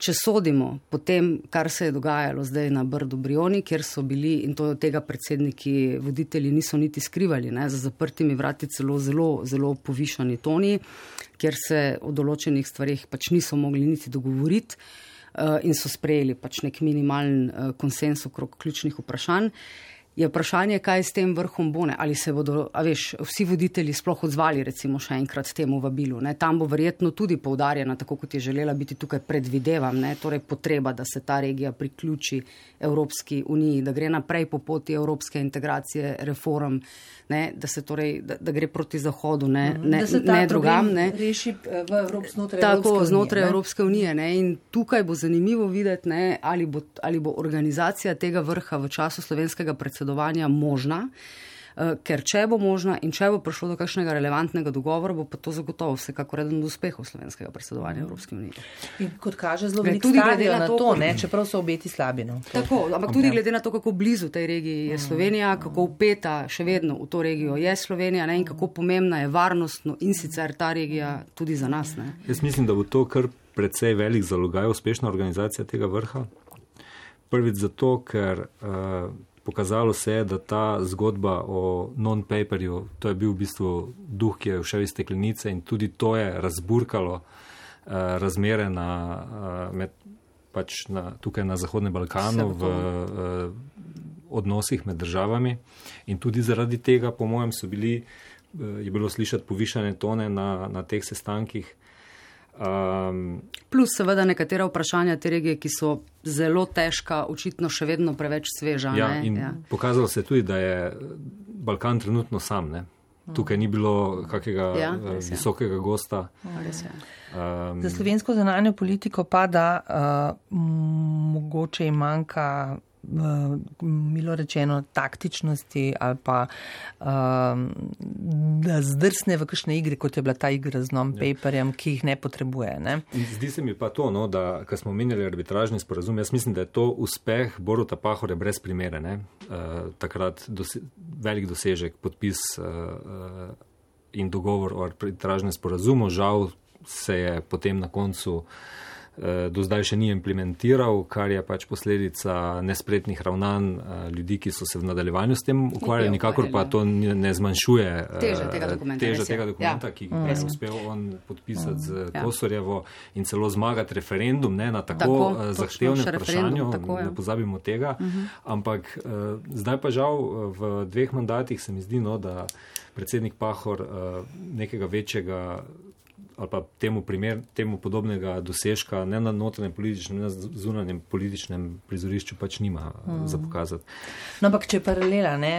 [SPEAKER 5] Če sodimo po tem, kar se je dogajalo zdaj na Brdu Brioni, kjer so bili, in to tega predsedniki, voditelji niso niti skrivali, ne, za zaprtimi vrati celo zelo, zelo povišani toni, kjer se o določenih stvarih pač niso mogli niti dogovoriti uh, in so sprejeli pač nek minimalen uh, konsens okrog ključnih vprašanj. Je vprašanje, kaj s tem vrhom bo, ne? Ali se bodo, a veš, vsi voditelji sploh odzvali recimo še enkrat temu vabilu. Ne? Tam bo verjetno tudi poudarjena, tako kot je želela biti tukaj, predvidevam, ne? Torej potreba, da se ta regija priključi Evropski uniji, da gre naprej po poti evropske integracije, reform, ne? Da se torej, da, da gre proti Zahodu, ne, ne, ne drugam. Ne?
[SPEAKER 4] Reši v Evrop, znotraj
[SPEAKER 5] tako,
[SPEAKER 4] Evropske
[SPEAKER 5] znotraj
[SPEAKER 4] unije,
[SPEAKER 5] Evropske unije. Ne? In tukaj bo zanimivo videti, ne? Ali bo, ali bo organizacija tega vrha v času slovenskega predsedovanja možna. uh, ker če bo možna in če bo prišlo do kakšnega relevantnega dogovora, bo pa to zagotovo vsekakor eden od uspehov slovenskega predsedovanja Evropske unije.
[SPEAKER 4] In kot kaže, zelo veliko stavijo na to, to ne, čeprav so obeti slabi. No.
[SPEAKER 5] Tako, ampak tudi glede na to, kako blizu tej regiji je Slovenija, kako upeta še vedno v to regijo je Slovenija, ne, in kako pomembna je varnostno in sicer ta regija tudi za nas. Ne.
[SPEAKER 3] Jaz mislim, da bo to kar precej velik zalogaj uspešna organizacija tega vrha. Prvič zato, ker uh, pokazalo se je, da ta zgodba o non-paperju, to je bil v bistvu duh, ki je všel iz steklenice in tudi to je razburkalo uh, razmere na, uh, med, pač na, tukaj na Zahodnem Balkanu v uh, odnosih med državami in tudi zaradi tega, po mojem, so bili, uh, je bilo slišati povišane tone na, na teh sestankih. Um,
[SPEAKER 5] Plus seveda nekatera vprašanja te regije, ki so zelo težka, očitno še vedno preveč sveža.
[SPEAKER 3] Ja,
[SPEAKER 5] ne?
[SPEAKER 3] In ja. Pokazalo se tudi, da je Balkan trenutno sam. Ne? Tukaj ni bilo kakega ja, visokega gosta.
[SPEAKER 4] Um, Za slovensko zunanjo politiko pa da uh, mogoče im manjka milo rečeno taktičnosti ali pa um, da zdrsne v kakšne igre, kot je bila ta igra z non-paperjem, ki jih ne potrebuje. Ne?
[SPEAKER 3] Zdi se mi pa to, no, da ko smo omenjali arbitražni sporazum, jaz mislim, da je to uspeh Boruta Pahorja brez primere. Ne? Uh, takrat dose- velik dosežek, podpis uh, in dogovor o arbitražnem sporazumu. Žal se je potem na koncu do zdaj še ni implementiral, kar je pač posledica nespretnih ravnanj ljudi, ki so se v nadaljevanju s tem ukvarjali, nikakor pa to ne zmanjšuje
[SPEAKER 5] teže tega dokumenta,
[SPEAKER 3] teže tega dokumenta ja. ki ga je uspel on podpisati z ja. Kosorjevo in celo zmagati referendum ne, na tako, tako zahtevnem vprašanju, ne pozabimo tega, uh-huh. ampak zdaj pa žal v dveh mandatih se mi zdi, no, da predsednik Pahor nekega večjega ali pa temu, primer, temu podobnega dosežka ne na notranjem političnem, ne na zunanjem političnem prizorišču pač nima mm. za pokazati.
[SPEAKER 4] No, ampak če je paralela, ne,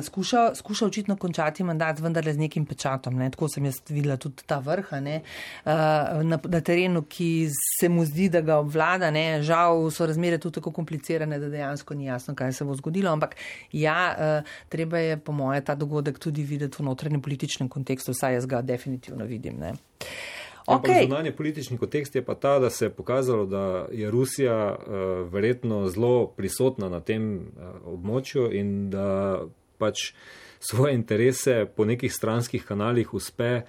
[SPEAKER 4] skuša, skuša očitno končati mandat vendarle z nekim pečatom, ne, tako sem jaz videla tudi ta vrha, ne, na, na terenu, ki se mu zdi, da ga obvlada, ne, žal so razmere tudi tako komplicirane, da dejansko ni jasno, kaj se bo zgodilo, ampak ja, treba je po moje ta dogodek tudi videti v notranjem političnem kontekstu, saj jaz ga definitivno vidim, ne.
[SPEAKER 3] Okay. Zunanji politični kontekst je pa ta, da se je pokazalo, da je Rusija uh, verjetno zelo prisotna na tem uh, območju in da pač svoje interese po nekih stranskih kanalih uspe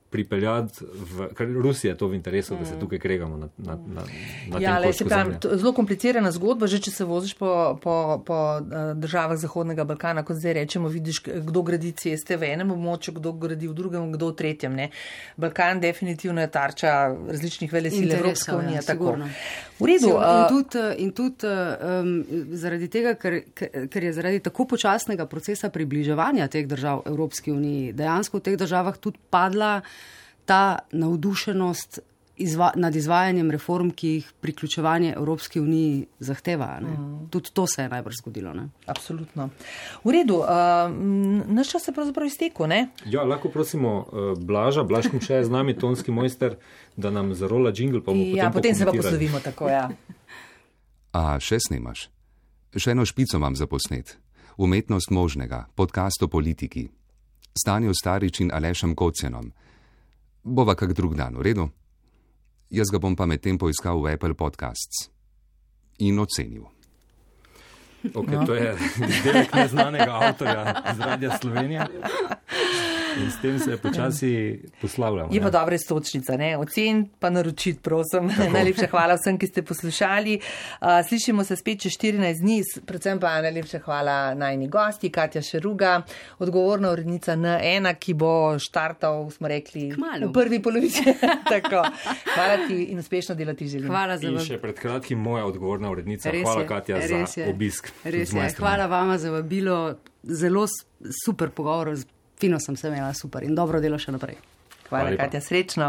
[SPEAKER 3] pripeljati v, ker Rusija je to v interesu, mm. da se tukaj kregamo na, na, na, na
[SPEAKER 4] ja,
[SPEAKER 3] tem koščku zemlje.
[SPEAKER 4] Zelo komplicirana zgodba, že če se voziš po, po, po državah Zahodnega Balkana, kot zdaj rečemo, vidiš, kdo gradi ceste v enem območju, kdo gradi v drugem, kdo v tretjem. Ne. Balkan definitivno je tarča različnih velesil Evropske unije. Ja, v redu.
[SPEAKER 5] In tudi, in tudi um, zaradi tega, ker, ker je zaradi tako počasnega procesa približevanja teh držav Evropski uniji, dejansko v teh državah tudi padla ta navdušenost izva, nad izvajanjem reform, ki jih priključevanje Evropski uniji zahteva. Ne? Mm. Tudi to se je najbrž zgodilo. Ne?
[SPEAKER 4] Absolutno. V redu, uh, naš čas se pravzaprav iztekel, ne?
[SPEAKER 3] Ja, lahko prosimo uh, Blaža, Blaž Kumše je z nami, tonski mojster, da nam zarola džingl, pa bomo potem
[SPEAKER 4] Ja, potem se pa poslovimo tako, ja.
[SPEAKER 6] A, še snimaš? Še eno špico imam za posnet. Umetnost možnega, podcast o politiki. Stanjo Starič in Alešem Kocjanom. Bova kak drug dan, v redu? Jaz ga bom pa medtem poiskal v Apple Podcasts in ocenil.
[SPEAKER 3] Ok, to je izdelek neznanega avtorja iz Radia Slovenija. In s tem se počasi poslavljamo.
[SPEAKER 4] Je pa dobra istočnica, ne? Ocen pa naročiti, prosim. Najlepša hvala vsem, ki ste poslušali. Uh, slišimo se spet čez štirinajst dni, predvsem pa najlepša hvala najni gosti, Katja Šeruga, odgovorna urednica N ena, ki bo štartal, smo rekli,
[SPEAKER 5] Kmalu.
[SPEAKER 4] V prvi polovici. Tako. Hvala ti in uspešno delo ti želim.
[SPEAKER 5] Hvala za
[SPEAKER 3] in še pred kratkim moja odgovorna urednica.
[SPEAKER 5] Res
[SPEAKER 3] hvala,
[SPEAKER 5] je,
[SPEAKER 3] Katja, za
[SPEAKER 5] je.
[SPEAKER 3] obisk.
[SPEAKER 5] Res je. Hvala vama za vabilo. Zelo super pogovor. Fino sem se imela, super in dobro delo še naprej.
[SPEAKER 4] Hvala, Katja, srečno.